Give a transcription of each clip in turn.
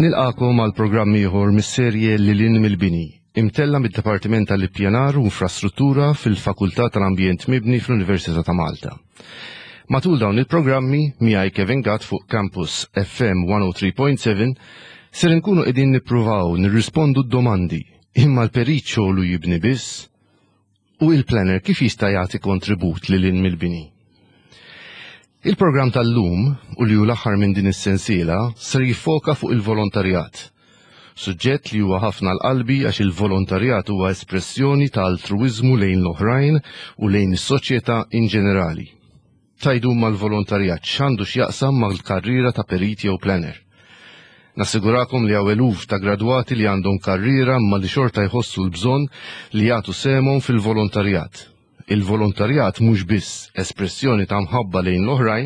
Nilqagħkom għal programm ieħor mis-serje Lil hinn mill-Bini, imtella' mid-Dipartiment tal-Ippjanar u Infrastruttura fil-Fakultà tal-Ambjent Mibni fl-Università ta' Malta. Matul dawn il-programmi, miegħi Kevin Gatt fuq Campus FM 103.7, ser inkunu qegħdin nippruvaw nirrispondu d-domandi, imma l-perit xogħlu jibni biss? U il-planner kif jista' jagħti kontribut lil hinn mill-bini? Il-programm tal-lum, u li hu l-aħħar minn din is-sensiela, ser jiffoka fuq il-volontarjat. Suġġett li huwa ħafna għal qalbi għax il-volontarjat huwa espressjoni ta' altruwiżmu lejn l-oħrajn u lejn is-soċjetà in ġenerali. Tgħidu imma l-volontarjat x'għandu x'jaqsam mal-karriera ta' perit jew planner? Nassigurakom li hawn eluf ta' gradwati li għandhom karriera imma li xorta jħossu l-bżonn li jagħtu sehemhom fil-volontarjat. Il-volontarjat mhux biss espressjoni ta' mħabba lejn l-oħrajn,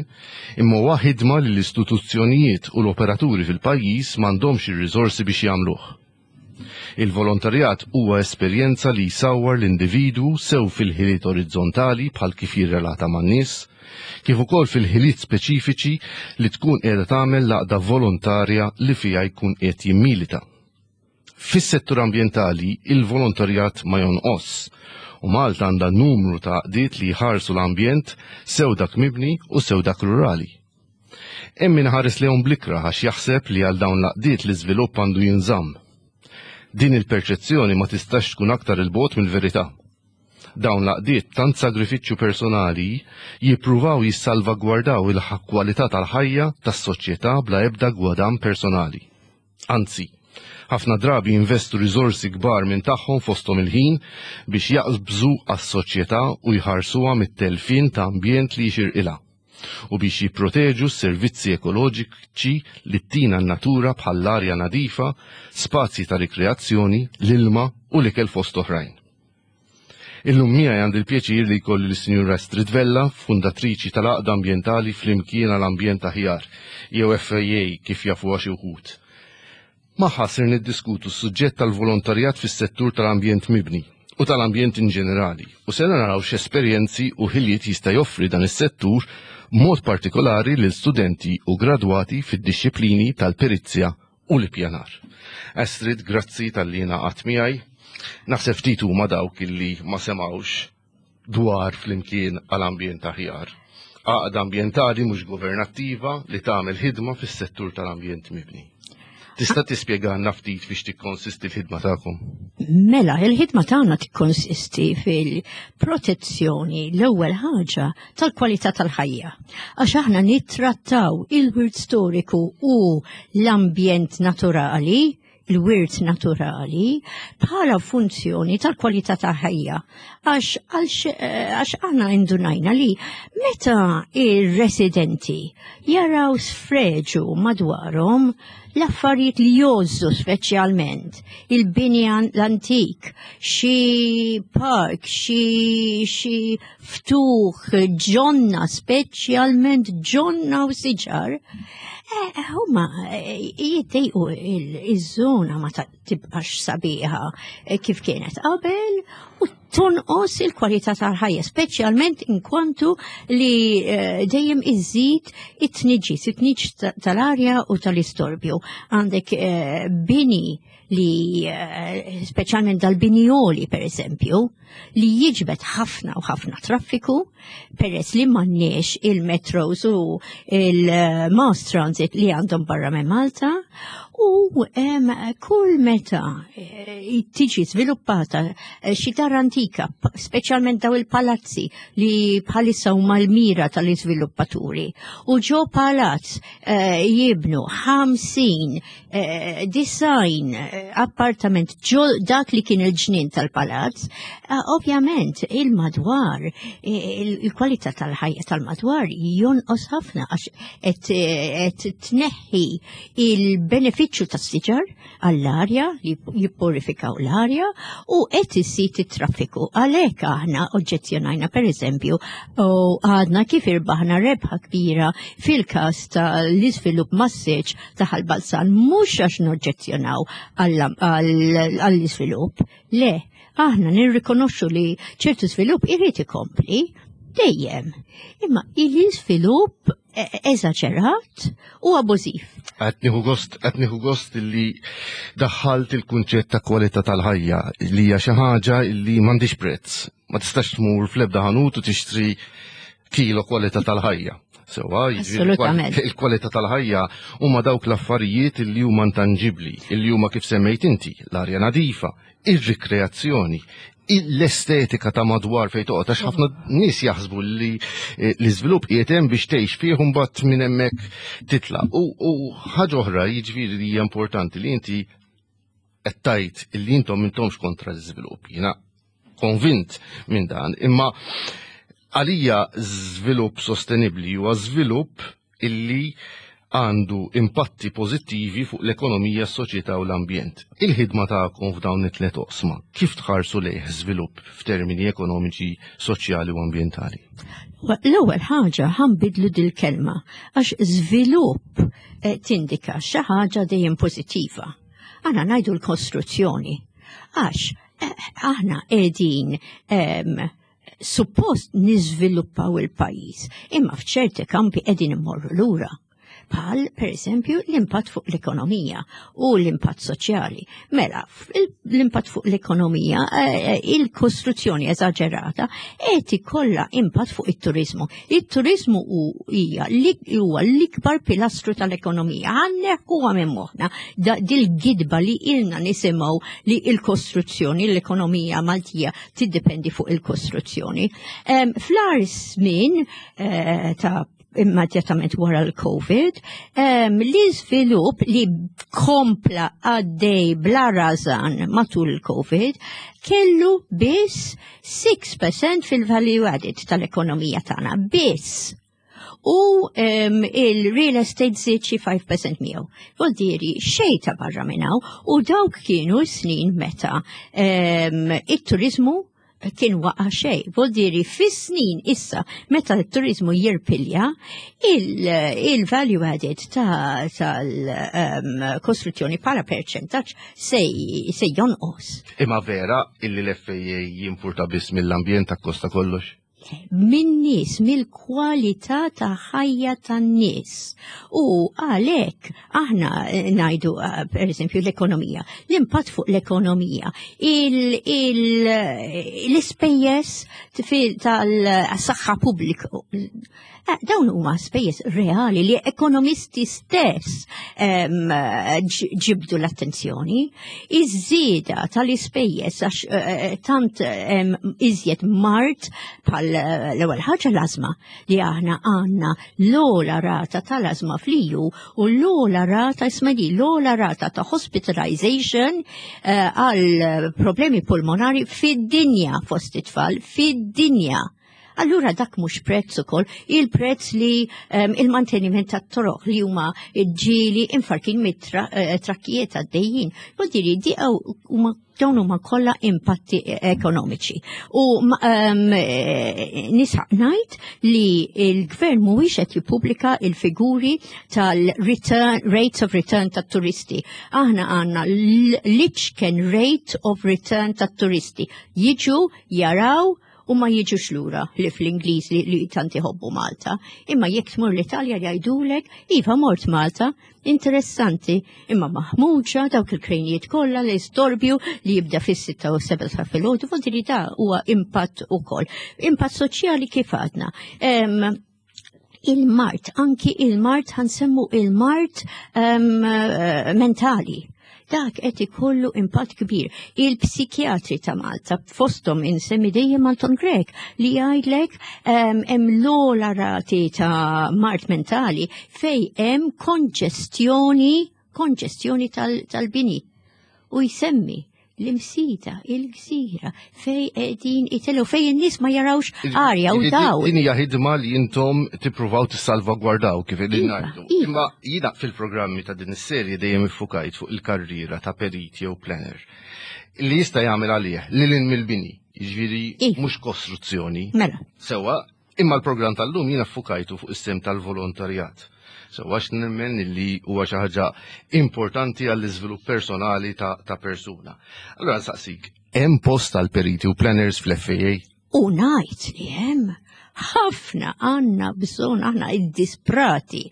imma huwa ħidma li l-istituzzjonijiet u l-operaturi fil-pajjiż m'għandhomx ir-riżorsi biex jagħmluh. Il-volontarjat huwa esperjenza li jsawwar l-individwu sew fil-ħiliet orizzontali bħal kif jirrelata man-nies, kif ukoll fil-ħiliet speċifiċi li tkun qiegħda tagħmel l-għaqda volontarja li fiha jkun qiegħed jimmilita. Fis-settur ambjentali, il-volontarjat ma jonqosx u Malta għandha numru ta' għaqdiet li jħarsu l-ambjent sew dak mibni u sew dak rurali. Hemm min iħares lejhom bl-ikrah għax jaħseb li għal dawn l-għaqdiet l-iżvilupp għandu jinżamm. Din il-perċezzjoni ma tistax tkun aktar 'il bogħod mill-verità. Dawn l-għaqdiet b'tant sagrifiċċju personali jippruvaw jissalvagwardaw il-kwalità tal-ħajja tas-soċjetà bla ebda gwadann personali. Anzi, ħafna drabi jinvestu riżorsi kbar minn tagħhom fosthom il-ħin biex jaqbżu għas-soċjetà u jħarsuha mit-telfien ta' ambjent li jixirqilha u biex jipproteġu s-servizzi ekoloġiċi li ttina n-natura bħall-arja nadifa, spazji ta' rikreazzjoni, l-ilma u l-ikel fost oħrajn. Illum miegħi għandi l-pjaċir li jkolli lis-Sinjura Astrid Vella, fundatriċi tal-Għaqda Ambjentali Flimkien għal Ambjent Aħjar, jew FAA kif jafuha xi wħud. Magħha ser niddiskutu s-suġġett tal-volontarjat fis-settur tal-ambjent mibni u tal-ambjent in ġenerali u ser naraw x'esperjenzi u ħiliet jista' joffri dan is-settur b'mod partikolari lil studenti u gradwati fid-dixxiplini tal-perizja u l-ippjanar. Astrid, grazzi talli ingħaqadt miegħi. Naħseb ftit huma dawk illi ma semgħux dwar Flimkien għal Ambjent Aħjar. Għaqda ambjentali mhux governattiva li tagħmel ħidma fis-settur tal-ambjent mibni. Tista' tispjegalna ftit fiex tikkonsisti l-ħidma tagħkom? Mela, il-ħidma tagħna tikkonsisti fil-protezzjoni l-ewwel ħaġa tal-kwalità tal-ħajja. Għax aħna nittrattaw il-wirt storiku u l-ambjent naturali, il-wirt naturali, bħala funzjoni tal-kwalità tal-ħajja. Għax għax aħna indunajna li meta ir-residenti jaraw sfreġu madwarhom l-affarijiet li jgħożżu speċjalment il-bini l-antik, xi park, xi xi ftuħ, ġonna, speċjalment ġonna u siġar, eh, huma eh, jiddejqu iż-żona ma tibqax sabiħa eh, kif kienet qabel u tonqos il-kwalità tal-ħajja, speċjalment inkwantu li dejjem iżid it-tniġġis, it-tniġġ tal-arja u tal-istorbju. Għandek bini li eh, speċjalment dal-binjoli per eżempju, li jiġbed ħafna u ħafna traffiku peress li m'għandniex il-metros u il-mass transit li għandhom barra minn Malta u kull meta eh, tiġi sviluppata eh, xi dar antika, speċjalment daw il-palazzi li bħalissa huma l-mira tal-iżviluppaturi. U ġo palazz jibnu 50 Eh, design eh, appartament ġo dak li kien il-ġnien tal-palazz, eh, ovvjament il-madwar, il-kwalità tal-ħajja tal-madwar jonqos ħafna għax qed tneħħi il-benefiċċju tas-siġar għall-arja li jippurifikaw l-arja u qed iżid it-traffiku. Għalhekk aħna oġġezzjonajna pereżempju u għadna kif irbaħna rebħa kbira fil-każ tal-iżvilupp massiċ ta' Ħal Balzan mhux għax noġġezzjonaw għall-iżvilupp, le, aħna nirrikonoxxu li ċertu żvilupp irid ikompli. Dejjem. Imma il-iżvilupp eżaġerat u abużiv. Qed nieħu gost, qed nieħu gost li daħħalt il-kunċett ta' kwalità tal-ħajja li hija xi ħaġa li m'għandix prezz. Ma tistax tmur fl-ebda ħanut u tixtri kilo kwalità tal-ħajja. Sewa, jiġifieri il-kwalità tal-ħajja huma dawk l-affarijiet li huma intanġibbli, li huma kif semmejt inti, l-arja nadifa, ir-rikreazzjoni, l-estetika ta' madwar fejn toqgħod għax ħafna nies jaħsbu li eh, l-iżvilupp qiegħed hemm biex tgħix fih u mbagħad minn hemmhekk titla'. U ħaġa oħra jiġifieri li hija importanti li inti qed tgħid li intom intomx kontra l-iżvilupp. Jiena konvint minn dan, imma għalija żvilupp sostenibbli huwa żvilupp illi għandu impatti pożittivi fuq l-ekonomija, s-soċjetà u l-ambjent. Il-ħidma tagħkom f'dawn it-tliet oqsma, kif tħarsu lejh żvilupp f'termini ekonomiċi, soċjali u ambjentali? L-ewwel ħaġa ħanbidlu dil-kelma għax żvilupp eh, tindika xi ħaġa dejjem pożittiva. Aħna ngħidu l-kostruzzjoni għax eh, aħna qegħdin ehm, suppost niżviluppaw il-pajjiż, imma f'ċerti kampi qegħdin immorru lura bħal per eżempju l-impatt fuq l-ekonomija u l-impatt soċjali. Mela, l-impatt fuq l-ekonomija, eh, eh, il-kostruzzjoni eżaġerata qed ikollha impatt fuq it-turizmu. Il-turizmu hija huwa l-ikbar pilastru tal-ekonomija. Għanneħħuha minn moħħna dil-gidba li ilna nisimgħu li l-kostruzzjoni, l-ekonomija Maltija tiddependi fuq il-kostruzzjoni. Fl-ar żmien eh, ta' immedjatament wara l-Covid, l-iżvilupp li kompla għaddej bla razan matul il-Covid kellu biss 6% fil-value added tal-ekonomija tagħna, biss u um, il-real estate żied xi 5% miegħu. Vuol xejn ta' barra minn hawn u dawk kienu snin meta um, it-turizmu kien waqa xej. Vuol fis-snin issa meta t-turizmu jirpilja il-value added tal-kostruzzjoni um, bħala perċentaġġ se, se jonqos. Imma vera illi l-FAA jimpurta biss mill-ambjent akkosta kollox? Min-nies, mill-kwalità ta' ħajja tan-nies. U għalhekk aħna eh, ngħidu eh, pereżempju l-ekonomija, l-impatt fuq l-ekonomija, l-ispejjeż tal-saħħa pubblika. Eh, dawn huma spejjeż reali li ekonomisti stess ġibdu l-attenzjoni. Iż-żieda tal-ispejjeż għax eh, eh, tant iżjed mart bħal l-ewwel ħaġa l-ażma li aħna għandna l-ogħla rata tal-ażma fl-EU u l-ogħla rata isma' l-ogħla rata ta' hospitalization għal problemi pulmonari fid-dinja fost it-tfal, fid-dinja. Allura dak mhux prezz ukoll, il-prezz li um, il-manteniment tat-toroq li huma ġieli infarkin mit-trakkijiet eh, għaddejjin. Vuol di huma dawn huma kollha impatti ekonomiċi. U um, nisaq ngħid li l-gvern mhuwiex qed jippubblika il-figuri tal-return rates of return tat-turisti. Aħna għandna l-iċken rate of return tat-turisti. Jiġu jaraw u ma jiġux lura li fl-Ingliż li, li tant iħobbu Malta. Imma jekk tmur l-Italja jgħidulek, iva mort Malta, interessanti, imma maħmuġa dawk il-krejnijiet kollha li storbju li jibda fis-6 u 7 ta' filgħodu, vuol da huwa impatt ukoll. Impatt soċjali kif għadna. Il-mart, anki il-mart ħansemmu il-mart um, mentali. Dak qed ikollu impatt kbir. Il-psikjatri ta' Malta fosthom insemmi dejjem Anton Grek li jgħidlek hemm l-ogħla rati ta' mart mentali fej hemm konġestjoni konġestjoni tal-bini. U jsemmi l-imsida, il-gżira, fej qegħdin itellu, fej in-nies ma jarawx arja u daw. Din hija ħidma li intom tippruvaw tissalvagwardaw kif qegħdin iva, ngħidu. Iva. Imma jiena fil-programmi ta' din is-serje dejjem iffukajt fuq il-karriera ta' perit jew planner li jista' jagħmel għalih lil mill-bini, jiġifieri iva. mhux kostruzzjoni. Mela. Sewwa, Imma l-programm tal-lum jiena ffukajtu fuq is-sehem tal-volontarjat. Sewwa għax nemmen li huwa xi ħaġa importanti għall-iżvilupp personali ta', ta persuna. Allura nsaqsik, hemm post għal periti u planners fl-FAA? U ngħid li hemm. Ħafna għandna bżonn aħna iddisprati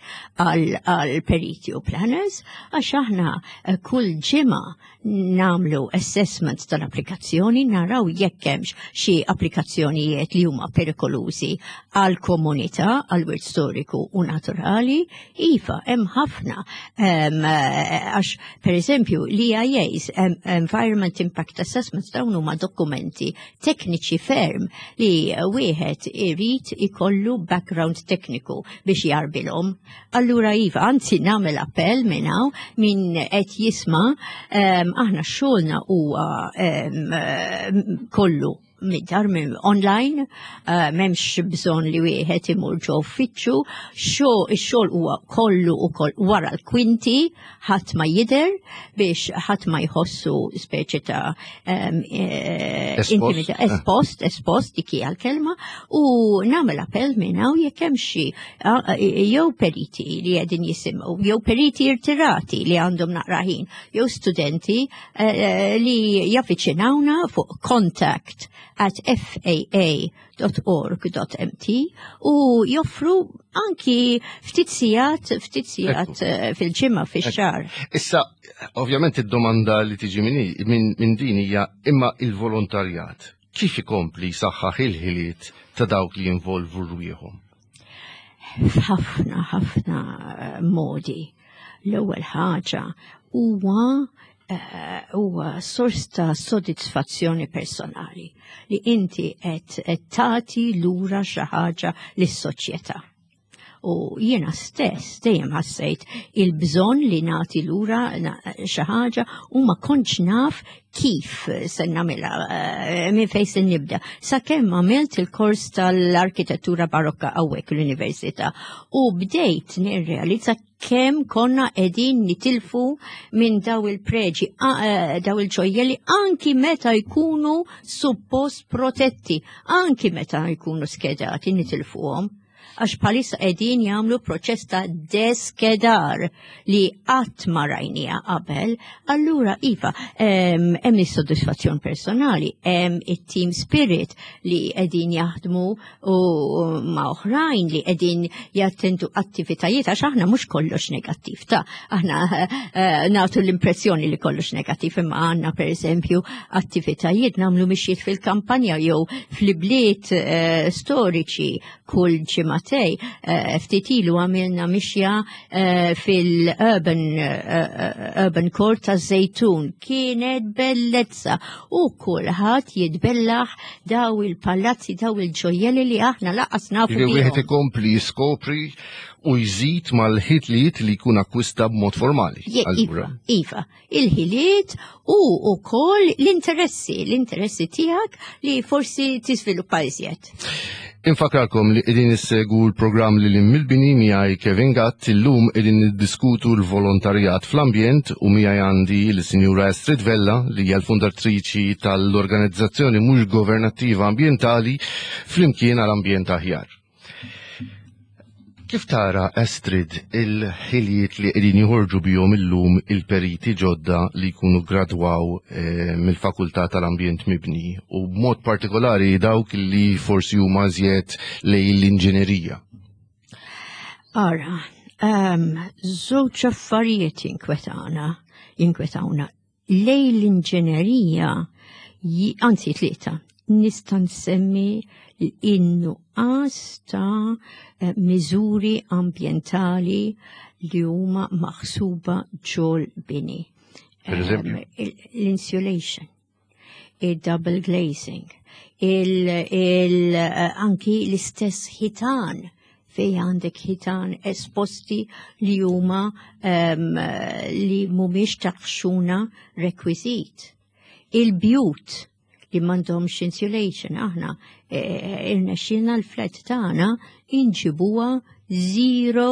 għal periti u planners għax aħna eh, kull ġimgħa nagħmlu assessment tal-applikazzjoni naraw jekk hemmx xi applikazzjonijiet li huma perikolużi għal komunità, għal wirt storiku u naturali, iva hemm ħafna eh, għax pereżempju l-EIAs, Environment Impact Assessments, dawn huma dokumenti tekniċi ferm li wieħed irid ikollu background tekniku biex jarbilhom. Allura iva, anzi nagħmel appell minn hawn min qed jisma' aħna xogħolna huwa kollu mid-dar minn online, eh, m'hemmx bżonn li wieħed imur ġo uffiċċju, ix-xogħol huwa kollu ukoll wara l-kwinti, ħadd ma jidher biex ħadd ma jħossu speċi ta' eh, intimità eh. espost, espost dik hija l-kelma u nagħmel appell minn hawn jekk hemm xi jew periti li qegħdin jisimgħu, jew periti irtirati li għandhom naqra ħin, jew studenti eh, li javviċinawna fuq contact at faa www.org.mt u joffru anki ftit sigħat ftit sigħat eh, fil-ġimgħa fix-xahar. Issa, ovvjament id-domanda li tiġi minn din hija imma il-volontarjat kif ikompli saħħaħ il-ħiliet ta' dawk li jinvolvu rwieħhom? F'ħafna ħafna eh, modi. L-ewwel ħaġa huwa eh, huwa sors ta' sodisfazzjoni personali li inti qed tagħti lura xi ħaġa lis-soċjetà. U jiena stess dejjem ħassejt il-bżonn li nagħti lura xi ħaġa u ma kontx naf kif se nagħmilha eh, minn fejn se nibda. Sakemm għamilt il-kors tal-arkitettura barokka hawnhekk l-università u bdejt nirrealizza kemm konna qegħdin nitilfu minn daw il-preġi, eh, daw il-ġojjeli anki meta jkunu suppost protetti, anki meta jkunu skedati nitilfuhom għax bħalissa qegħdin jagħmlu proċess ta' deskedar li qatt ma rajnija qabel, allura iva, hemm is-sodisfazzjon personali, hemm it-team spirit li qegħdin jaħdmu u ma' oħrajn li qegħdin jattendu attivitajiet għax aħna mhux kollox negattiv ta' aħna eh, nagħtu l-impressjoni li kollox negattiv imma għandna pereżempju attivitajiet nagħmlu mixjiet fil-kampanja jew fl-ibliet eh, storiċi kull ġimagħtej eh, ftit ilu għamilna mixja fil-urban urban court ta' Zejtun kienet bellezza u kulħadd jitbellaħ daw il-palazzi, daw il-ġojjeli li aħna laqas nafu. Li wieħed ikompli jiskopri u jżid mal-ħiliet li jkun akkwista b'mod formali. Iva, iva, il-ħiliet u wkoll l-interessi, l-interessi tiegħek li forsi tiżviluppa iżjed. Infakralkom li qegħdin issegwu l-programm li lim mill-bini miegħi Kevin Gatt illum qegħdin niddiskutu l-volontarjat fl-ambjent u miegħi għandi l-Sinjura Astrid Vella li hija l-fundatriċi tal-organizzazzjoni mhux governattiva ambjentali Flimkien għal Ambjent Aħjar. Kif tara, Astrid, il-ħiliet li qegħdin joħorġu bihom illum il-periti ġodda li jkunu gradwaw eh, mill-Fakultà tal-Ambjent Mibni u b'mod partikolari dawk li forsi huma żjed lejn l-inġinerija? Ara, um, żewġ affarijiet jinkwetana, jinkwetawna Lejn l-inġinerija, anzi tlieta, nista' nsemmi in-nuqqas ta' eh, miżuri ambjentali li huma maħsuba ġol bini. Ehm, l-insulation, il-double glazing, il, il, eh, anki l-istess ħitan fej għandek ħitan esposti li huma um, li mhumiex taħxuna rekwiżit. Il-bjut li m'għandhomx insulation aħna e, irnexxilna l-flat tagħna inġibuha zero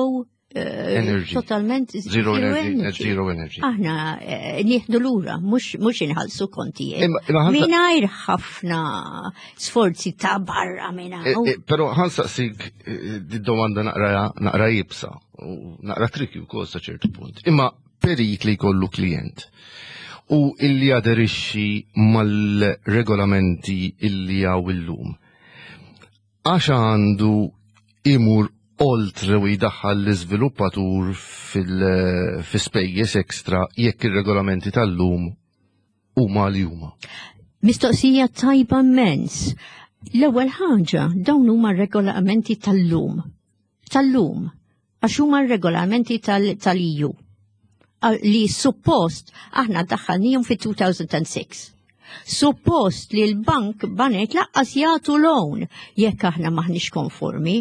eh, energy. Totalment zero energy. Zero energy. Aħna eh, nieħdu lura, mhux inħallsu kontijiet. Mingħajr ħafna sforzi ta' barra minn eh, hawn. Però ħansaqsik domanda naqra naqra jibsa u naqra triki wkoll sa ċertu punt. Imma perit li jkollu klient u illi aderixxi mal-regolamenti illi hawn illum. Għax għandu imur oltre u jdaħħal l-iżviluppatur fil-spejjeż ekstra jekk ir-regolamenti tal-lum huma li huma? Mistoqsija tajba immens. L-ewwel ħaġa, dawn huma regolamenti tal-lum. Tal-lum. Għax huma regolamenti tal-EU li suppost aħna daħħalnihom fi 2006. Suppost li l-bank banek laqqas jagħtu loan jekk aħna maħniex konformi.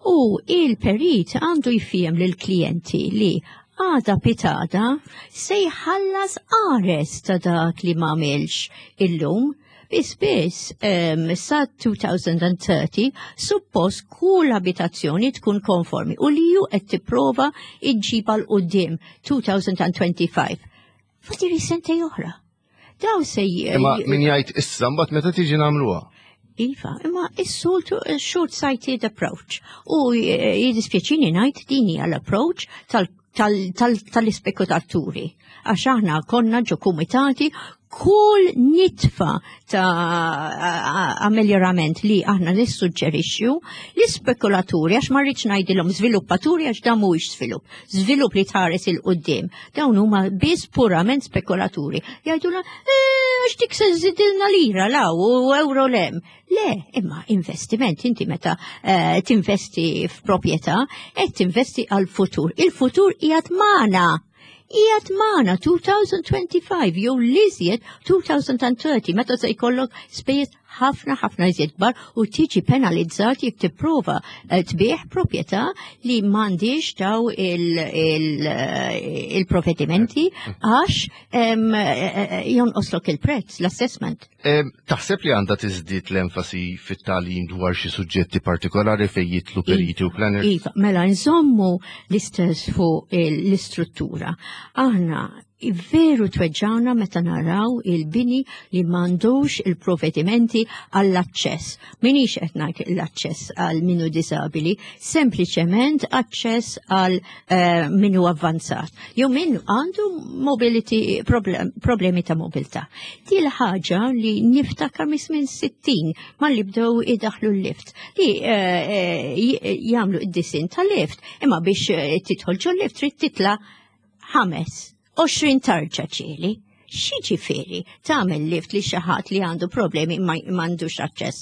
U il-perit għandu jfiem lil klijenti li għada pitada se jħallas qares ta' dak li m'għamilx illum. Biss biss sa 2030 suppost kull abitazzjoni tkun konformi u li ju qed tipprova iġġibha 'l quddiem 2025. Fadiri sentej oħra. Daw se Imma min jgħid issa mbagħad meta tiġi nagħmluha. Iva, imma is-soltu short-sighted approach. U jiddispjaċini ngħid din hija l-approach tal-ispekulaturi. Għax aħna konna ġo kumitati, kull nitfa ta' ameljerament li aħna nissuġġerixxu l-ispekulaturi, għax ma rridx ngħidilhom żviluppaturi għax dan mhuwiex żvilupp, żvilupp li tħares 'il quddiem. Dawn huma biss purament spekulaturi. Jgħidulna għax dik se żidilna lira law u euro lem. Le, imma investiment, inti meta tinvesti f'proprjetà, qed tinvesti għal-futur. Il-futur qiegħed magħna. Qiegħed magħna 2025 jew l-iżjed 2030 meta se jkollok spejjeż ħafna ħafna iżjed kbar u tiġi penalizzat jekk tipprova tbigħ proprjetà li m'għandix daw il-provvedimenti għax jonqoslok il-prezz, l-assessment. Taħseb li għandha tiżdied l-enfasi fit-tagħlim dwar xi suġġetti partikolari fejn jidħlu periti u planners? Iva, mela nżommu l-istess fuq l-istruttura. Aħna veru tweġġana meta naraw il-bini li m'għandux il-provvedimenti għall-aċċess. Minix qed ngħid l-aċċess għal minu disabili, sempliċement aċċess għal minu avvanzat. Jew min għandu mobility problemi ta' mobilità. Di l-ħaġa li niftakar mis minn 60 ma li bdew idaħlu l-lift li jagħmlu id-disin tal-lift, imma biex tidħol ġol lift trid titla' 25 tarġa ċeli. X'jiġifieri tagħmel lift li xi ħadd li għandu problemi ma m'għandux aċċess?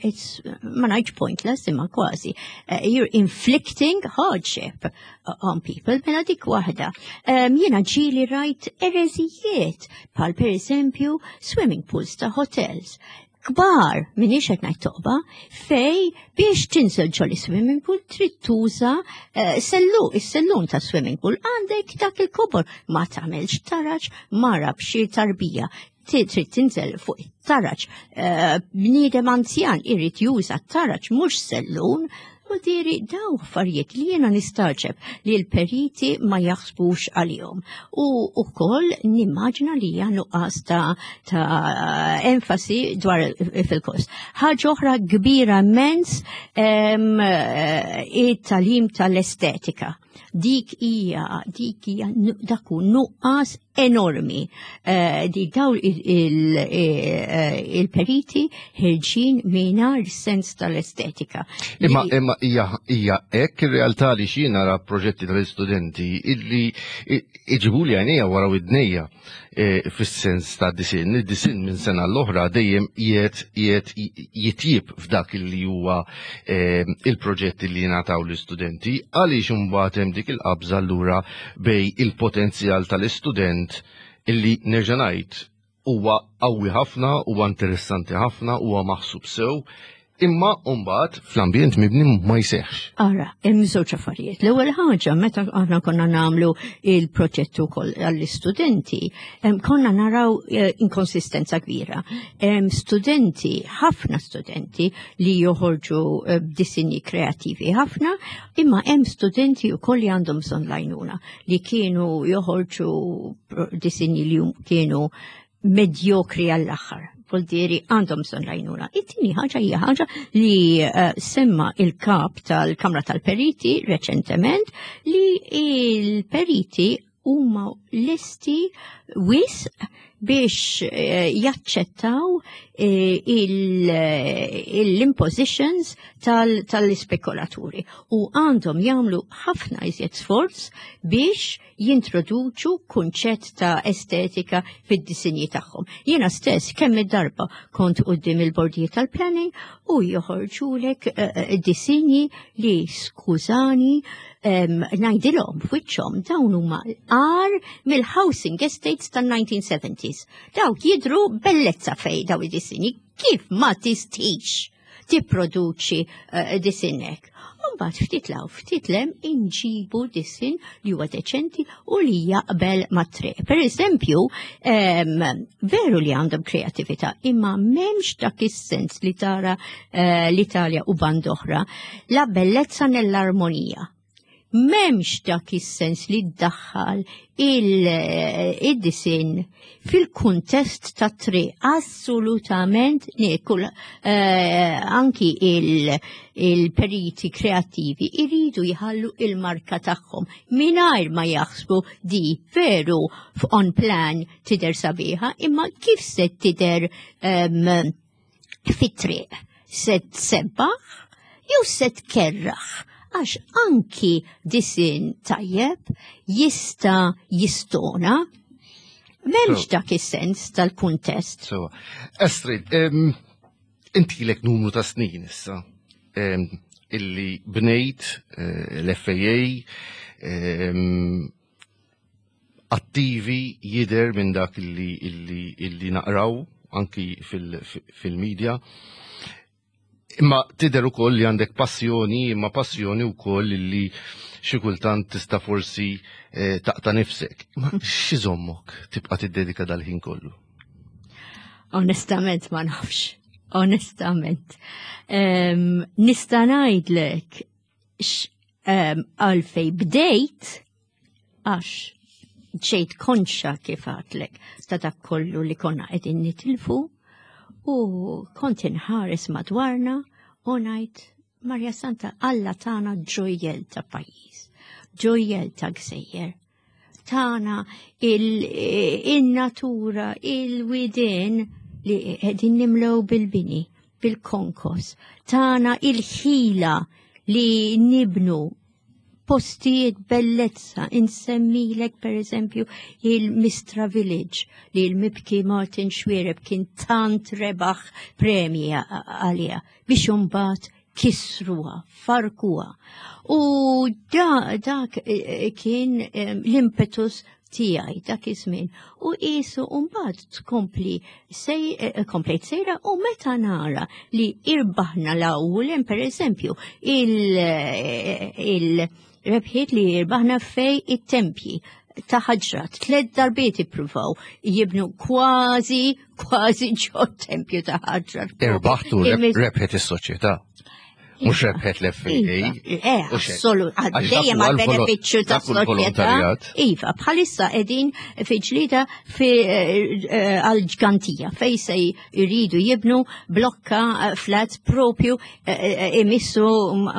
It's, ma ngħidx pointless, imma kważi. You're inflicting hardship on people, mela dik waħda. Jiena ġieli rajt ereżijiet bħal per eżempju swimming pools ta' hotels kbar, minix qed ngħid toqba, fej biex tinżel ġol swimming pool trid tuża sellu, is-sellun ta' swimming pool għandek dak il-kobor, ma tagħmelx taraġ mara b'xi tarbija. Trid tinżel fuq it-taraġ, bniedem anzjan irid juża t-taraġ mhux sellun. U diri daw affarijiet li jiena nistaġeb li l-periti ma jaħsbux għalihom. U wkoll nimmaġina li hija nuqqas ta' enfasi dwar fil-kost. Ħaġa oħra kbira immens, it-tagħlim tal-estetika. Dik hija dak hu nuqqas enormi. Di daw il-periti ħerġin mingħajr sens tal-estetika. Imma hija hekk ir-realtà li xi nara proġetti tal-istudenti illi iġibu li għajnejja wara widnejja fis-sens ta' disin. Id-disin minn sena l-oħra dejjem qiegħed jitjib f'dak li huwa il-proġetti li jingħataw l-istudenti, għaliex imbagħad hemm dik il-qabża allura bej il-potenzjal tal-istudent illi nerġa' ngħid huwa qawwi ħafna, huwa interessanti ħafna, huwa maħsub sew, imma mbagħad fl-ambjent mibni ma jseħħx. Ara, hemm żewġ affarijiet. L-ewwel ħaġa, meta aħna konna nagħmlu il-proġett ukoll għall-istudenti, konna naraw inkonsistenza kbira. Hemm studenti, ħafna studenti li joħorġu b'disinji kreattivi ħafna, imma hemm studenti wkoll li għandhom bżonn l-għajnuna li kienu joħorġu disinji li kienu medjokri għall-aħħar. Vuldiri għandhom bżonn l-għajnuna. It-tieni ħaġa hija ħaġa li semma il-kap tal-Kamra tal-Periti reċentement, li il-periti huma lesti wisq. biex eh, jaċċettaw eh, l-impositions tal-ispekulaturi u għandhom jagħmlu ħafna iżjed sforz biex jintroduċu kunċett ta' estetika fid-disinji tagħhom. Jiena stess kemm id-darba kont quddiem il-bordijiet tal-planning u joħorġulek eh, disinji li skużani ngħidilhom f'wiċċhom dawn huma għar mill-housing estates tan-1970s. Dawk jidru bellezza fej daw id-disinji kif ma tistix tipproduċi disinnek. Mbagħad ftit law ftit lem inġibu disin li huwa deċenti u li jaqbel mat-triq. Per eżempju, veru li għandhom kreatività, imma m'hemmx dak is-sens li tara l-Italja u band oħra, la bellezza nell'armonija. M'hemmx dak is-sens li ddaħħal il-disin fil-kuntest ta' triq. Assolutament nikul anki il-periti kreattivi iridu jħallu il-marka tagħhom mingħajr ma jaħsbu di veru on plan tidher sabiħa, imma kif se tidher fit-triq? Se tsebbaħ jew se tkerraħ? Għax anki disin tajjeb jista' jistona. M'hemmx dak is-sens tal-kuntest. So, Astrid, inti lek numru ta' snin issa illi bnejt l-FAA attivi jider minn dak illi naqraw anki fil-media. Imma tidher ukoll li għandek passjoni, imma passjoni wkoll li xi kultant tista' forsi taqta' nifsek. Ma x'iżommok tibqa' tiddedika dal-ħin kollu? Onestament ma nafx. Onestament. Nista' ngħidlek għalfej bdejt għax ġejt konxa kif għadlek ta' dak kollu li konna qegħdin nitilfu u kont inħares madwarna u ngħid Marja Santa Alla tana ġojjel ta' pajjiż, ġojjel ta' gżejjer, tana il-natura, il-widien li qegħdin nimlew bil-bini, bil-konkos, tana il-ħila li nibnu postijiet bellezza, insemmilek per eżempju il-Mistra Village li l-mibki Martin Xuereb kien tant rebaħ premji għalija biex imbagħad kisruha, farkuha. U dak kien l-impetus tiegħi dak iż-żmien. U qisu mbagħad tkompli komplejt sejra u meta nara li irbaħna l-ewwel hemm pereżempju il-rebħiet li irbaħna fej it-tempji ta' ħaġrat, 3 darbiet ippruvaw jibnu kważi kważi ġo tempju ta' ħaġrat. Irbaħtu rebħet is-soċjetà. Mhux rebħet l-FAA. Iva, assolut, dejjem għal benefiċċju ta' soċjetà. Iva, bħalissa qegħdin fi ġlida għal-ġgantija fej se jridu jibnu blokka flat propju imissu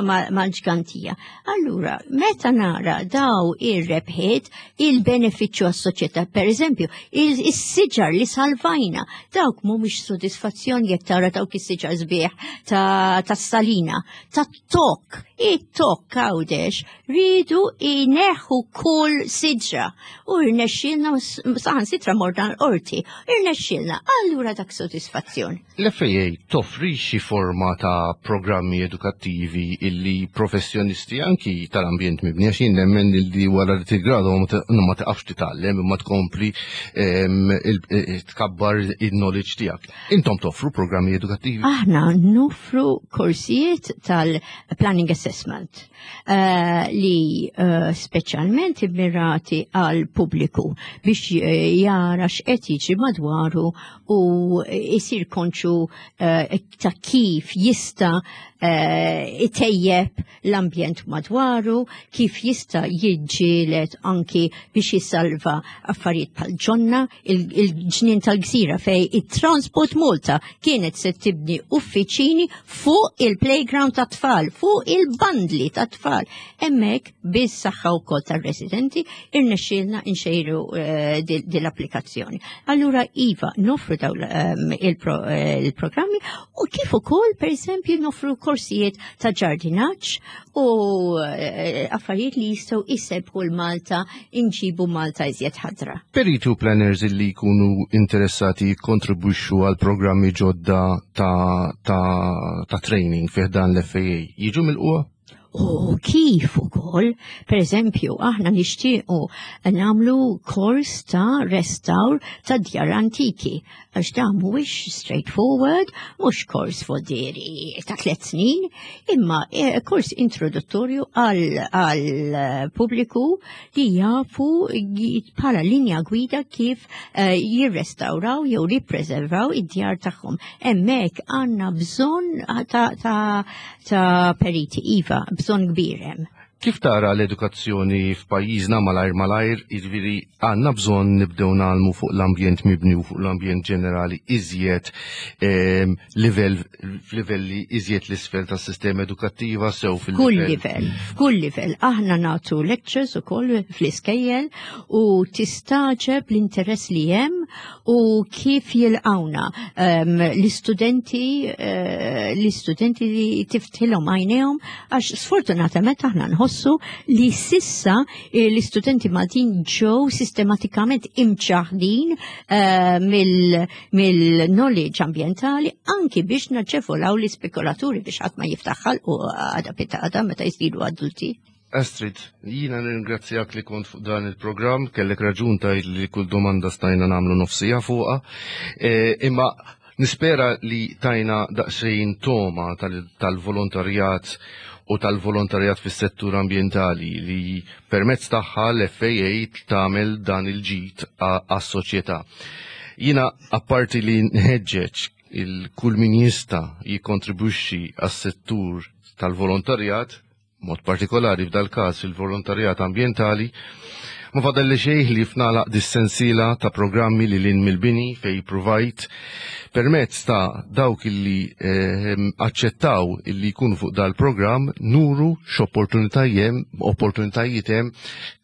mal-ġgantija. Allura, meta nara daw ir-rebħiet il-benefiċċju għas-soċjetà, per eżempju, is-siġar li salvajna, dawk mhumiex sodisfazzjon jekk tara dawk is-siġar sbieħ tas-salina, tat-tok, it-tok Għawdex, ridu jneħħu kull siġra u rnexxielna saħansitra morna l-qorti, irnexxielna, allura dak sodisfazzjon. L-FAA toffri xi forma ta' programmi edukattivi illi professjonisti anki tal-ambjent mibni, għax jien nemmen illi wara li tigradwa ma taqafx titgħallem imma tkompli tkabbar il-knowledge tiegħek. Intom toffru programmi edukattivi? Aħna noffru korsijiet tal-planning assessment li speċjalment immirati għal pubbliku biex jara x'qed jiġri madwaru u jsir konxu ta' kif jista' itejjeb l-ambjent madwaru, kif jista' jiġġieled anki biex jisalva affarijiet bħal ġonna, il-ġnien tal-gżira fej it-Transport Malta kienet se tibni uffiċini fuq il-playground playground ta' tfal, fuq il-bandli ta' tfal. Hemmhekk bis-saħħa wkoll tar-residenti irnexxielna nxejru eh, dil-applikazzjoni. Allura iva, nofru daw ehm, eh, il-programmi u kif ukoll pereżempju nofru korsijiet ta' ġardinaġġ u eh, affarijiet li jistgħu jsebbħu l-Malta inġibu Malta iżjed ħadra. Peritu planners li jkunu interessati jikkontribwixxu għal programmi ġodda ta', ta, ta training fih dan l-FAA jiġu mill-qwa? U kif ukoll, per eżempju, aħna nixtiequ nagħmlu kors ta' restawr ta' djar antiki, għax dan mhuwiex straightforward, mhux kors fodiri ta' tliet snin, imma eh, kors introduttorju għal pubbliku li jafu bħala linja gwida kif eh, jirrestawraw jew jippreservaw id-djar tagħhom. Hemmhekk għandna bżonn ta', ta ta' periti, iva, bżonn kbir hemm. Kif tara l-edukazzjoni f'pajjiżna malajr malajr, jiġifieri għandna bżonn nibdew nagħlmu fuq l-ambjent mibni u fuq l-ambjent ġenerali iżjed ehm, livell f'livelli iżjed l-isfel tas-sistema edukattiva sew fil Kull livell, f'kull livell. Aħna nagħtu lectures ukoll fl-iskejjel u tistaġeb l-interess li hemm u kif jilqawna um, l-istudenti uh, l-istudenti li tiftħilhom għajnejhom għax sfortunatament aħna nħossu li sissa eh, l-istudenti Maltin ġew sistematikament imċaħdin uh, mill-knowledge ambientali anki biex naġevolaw l-ispekulaturi biex ħadd ma jiftaħħal u għada pitada meta jsiru adulti. Astrid, jina nirringrazzjak li kont fuq dan il-programm, kellek raġun tajt li kull domanda stajna namlu nofsija fuqa, e, imma nispera li tajna daqsxejn toma tal-volontarjat u tal-volontarjat fis-settur ambientali li permezz tagħha l-FAA tagħmel dan il-ġid għas-soċjetà. Jina apparti li nħeġġeġ il-kull min jista' jikkontribwixxi għas-settur tal-volontarjat, mod partikolari f'dal-każ il-volontarjat ambjentali, ma fadalli xejn li fnalaq dis-sensiela ta' programmi li lin mill-bini fej provajt permezz ta' dawk illi eh, aċċettaw illi jkunu fuq dal-programm nuru x'opportunitajiet opportunitajiet hemm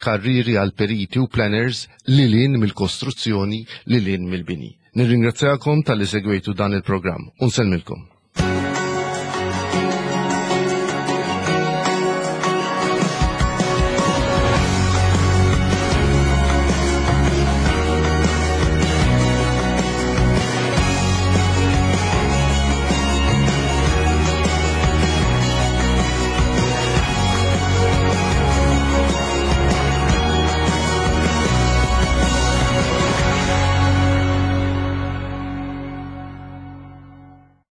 karriri għal periti u planners li lin mill-kostruzzjoni li lin mill-bini. Nirringrazzjakom tal-li segwejtu dan il-programm. Unsellmilkom.